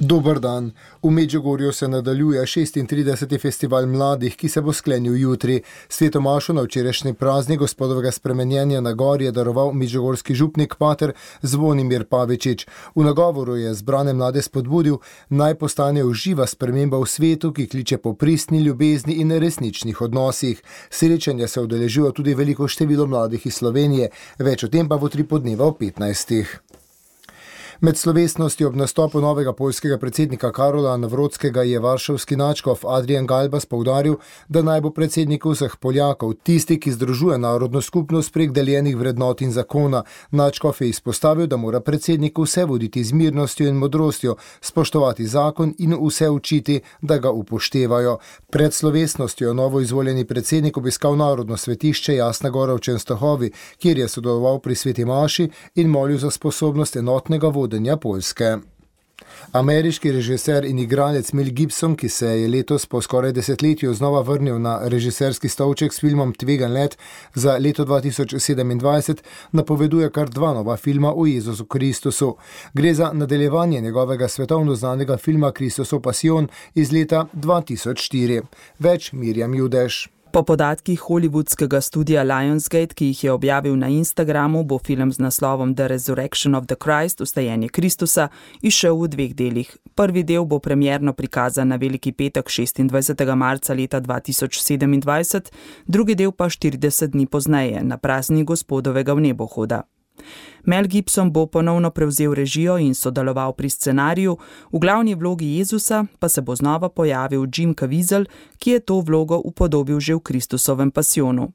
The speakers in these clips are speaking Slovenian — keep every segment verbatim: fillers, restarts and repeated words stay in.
Dober dan. V Medžugorju se nadaljuje šestintrideseti festival mladih, ki se bo sklenil jutri. Svetomašo na včerajšnji praznik gospodovega spremenjenja na gori je daroval medžugorski župnik pater Zvonimir Pavičič. V nagovoru je zbrane mlade spodbudil, naj postanejo živa sprememba v svetu, ki kliče po pristni ljubezni in resničnih odnosih. Srečanja se udeležuje tudi veliko število mladih iz Slovenije, več o tem pa bo tri podneva o petnajstih. Med slovesnostjo ob nastopu novega poljskega predsednika Karola Nawrockiega je varšavski nadškof Adrian Galbas poudaril, da naj bo predsednik vseh Poljakov, tisti, ki združuje narodno skupnost prek deljenih vrednot in zakona. Nadškof je izpostavil, da mora predsednik vse voditi z mirnostjo in modrostjo, spoštovati zakon in vse učiti, da ga upoštevajo. Pred slovesnostjo novo izvoljeni predsednik obiskal narodno svetišče Jasna gora v Čenstohovi, kjer je sodeloval pri sveti maši in molil za sposobnost enotnega vodenja Poljske. Ameriški režiser in igralec Mel Gibson, ki se je letos po skoraj desetletju znova vrnil na režiserski stolček s filmom Tvegan let za leto dva tisoč sedemindvajset, napoveduje kar dva nova filma o Jezusu Kristusu. Gre za nadaljevanje njegovega svetovno znanega filma Kristusov pasijon iz leta dva tisoč štiri. Več Mirjam Judeš. Po podatkih hollywoodskega studia Lionsgate, ki jih je objavil na Instagramu, bo film z naslovom The Resurrection of the Christ, Vstajenje Kristusa, izšel v dveh delih. Prvi del bo premierno prikazan na Veliki petek šestindvajsetega marca leta dva tisoč sedemindvajset, drugi del pa štirideset dni pozneje, na praznik Gospodovega vnebohoda. Mel Gibson bo ponovno prevzel režijo in sodeloval pri scenariju, v glavni vlogi Jezusa pa se bo znova pojavil Jim Caviezel, ki je to vlogo upodobil že v Kristusovem pasijonu.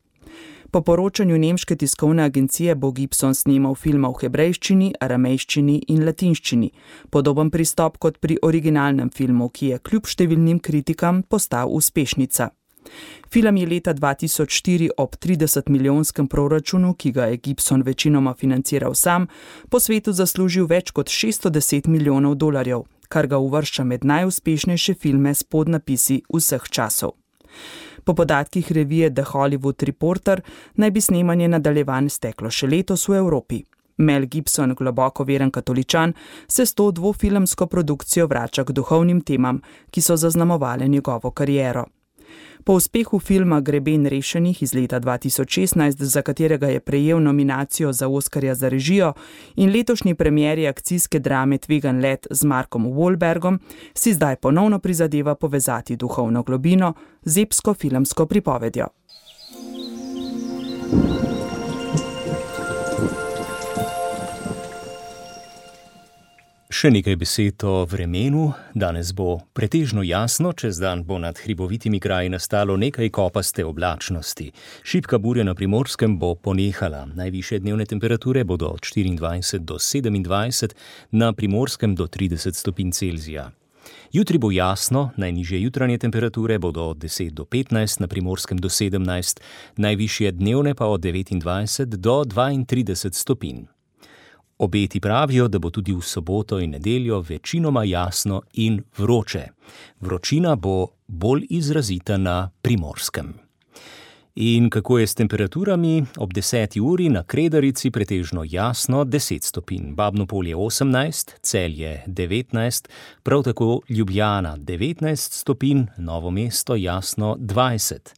Po poročanju nemške tiskovne agencije bo Gibson snemal filma v hebrejščini, aramejščini in latinščini, podoben pristop kot pri originalnem filmu, ki je kljub številnim kritikam postal uspešnica. Film je leta dva tisoč štiri ob trideset milijonskem proračunu, ki ga je Gibson večinoma financiral sam, po svetu zaslužil več kot šeststo deset milijonov dolarjev, kar ga uvršča med najuspešnejše filme s podnapisi vseh časov. Po podatkih revije The Hollywood Reporter naj bi snemanje nadaljevanj steklo še letos v Evropi. Mel Gibson, globoko veren katoličan, se s to dvofilmsko produkcijo vrača k duhovnim temam, ki so zaznamovale njegovo kariero. Po uspehu filma Greben rešenih iz leta dva tisoč šestnajst, za katerega je prejel nominacijo za Oskarja za režijo, in letošnji premieri akcijske drame Tvegan let z Markom Wahlbergom, si zdaj ponovno prizadeva povezati duhovno globino z epsko filmsko pripovedjo. Še nekaj besed o vremenu. Danes bo pretežno jasno, čez dan bo nad hribovitimi kraji nastalo nekaj kopaste oblačnosti. Šibka burja na Primorskem bo ponehala. Najvišje dnevne temperature bodo od štiriindvajset do sedemindvajset, na Primorskem do trideset stopinj Celzija. Jutri bo jasno, najnižje jutranje temperature bodo od deset do petnajst, na Primorskem do sedemnajst, najvišje dnevne pa od devetindvajset do dvaintrideset stopinj. Obeti pravijo, da bo tudi v soboto in nedeljo večinoma jasno in vroče. Vročina bo bolj izrazita na Primorskem. In kako je s temperaturami? Ob deseti uri na Kredarici pretežno jasno deset stopinj, Babno Polje osemnajst, Celje devetnajst, prav tako Ljubljana devetnajst stopinj, Novo mesto jasno dvajset.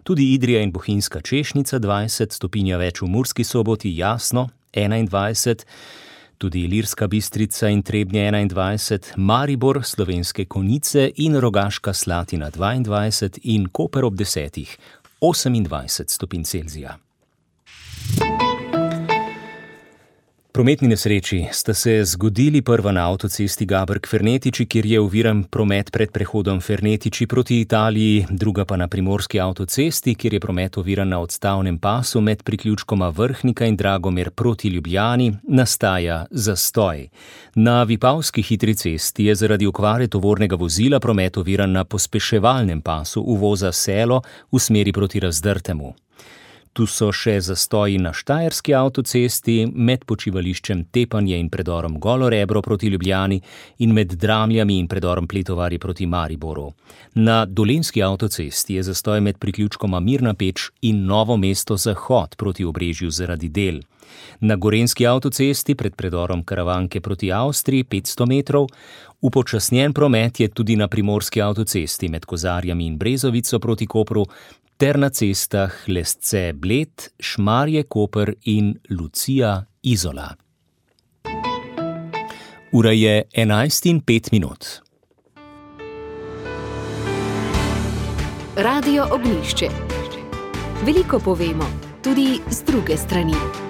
Tudi Idrija in Bohinjska Češnica dvajset, stopinja več v Murski Soboti jasno enaindvajset, tudi Ilirska Bistrica in Trebnje enaindvajset, Maribor, Slovenske Konjice in Rogaška Slatina dvaindvajset in Koper ob desetih osemindvajset stopinj Celzija. Prometni nesreči sta se zgodili, prva na avtocesti Gaberg-Fernetiči, kjer je oviran promet pred prehodom Fernetiči proti Italiji, druga pa na primorski avtocesti, kjer je promet oviran na odstavnem pasu med priključkoma Vrhnika in Dragomer proti Ljubljani, nastaja zastoj. Na Vipavski hitri cesti je zaradi okvare tovornega vozila promet oviran na pospeševalnem pasu uvoza Selo v smeri proti Razdrtemu. Tu so še zastoji na Štajerski avtocesti, med počivališčem Tepanje in predorom Golo Rebro proti Ljubljani in med Dramljami in predorom Pletovarji proti Mariboru. Na Dolenjski avtocesti je zastoj med priključkoma Mirna Peč in Novo mesto Zahod proti Obrežju zaradi del. Na Gorenjski avtocesti pred predorom Karavanke proti Avstriji petsto metrov, upočasnjen promet je tudi na Primorski avtocesti med Kozarjami in Brezovico proti Kopru, ter na cestah Lesce Bled, Šmarje Koper in Lucija Izola. Ura je enajst in pet minut. Radio Ognjišče. Veliko povemo, tudi z druge strani.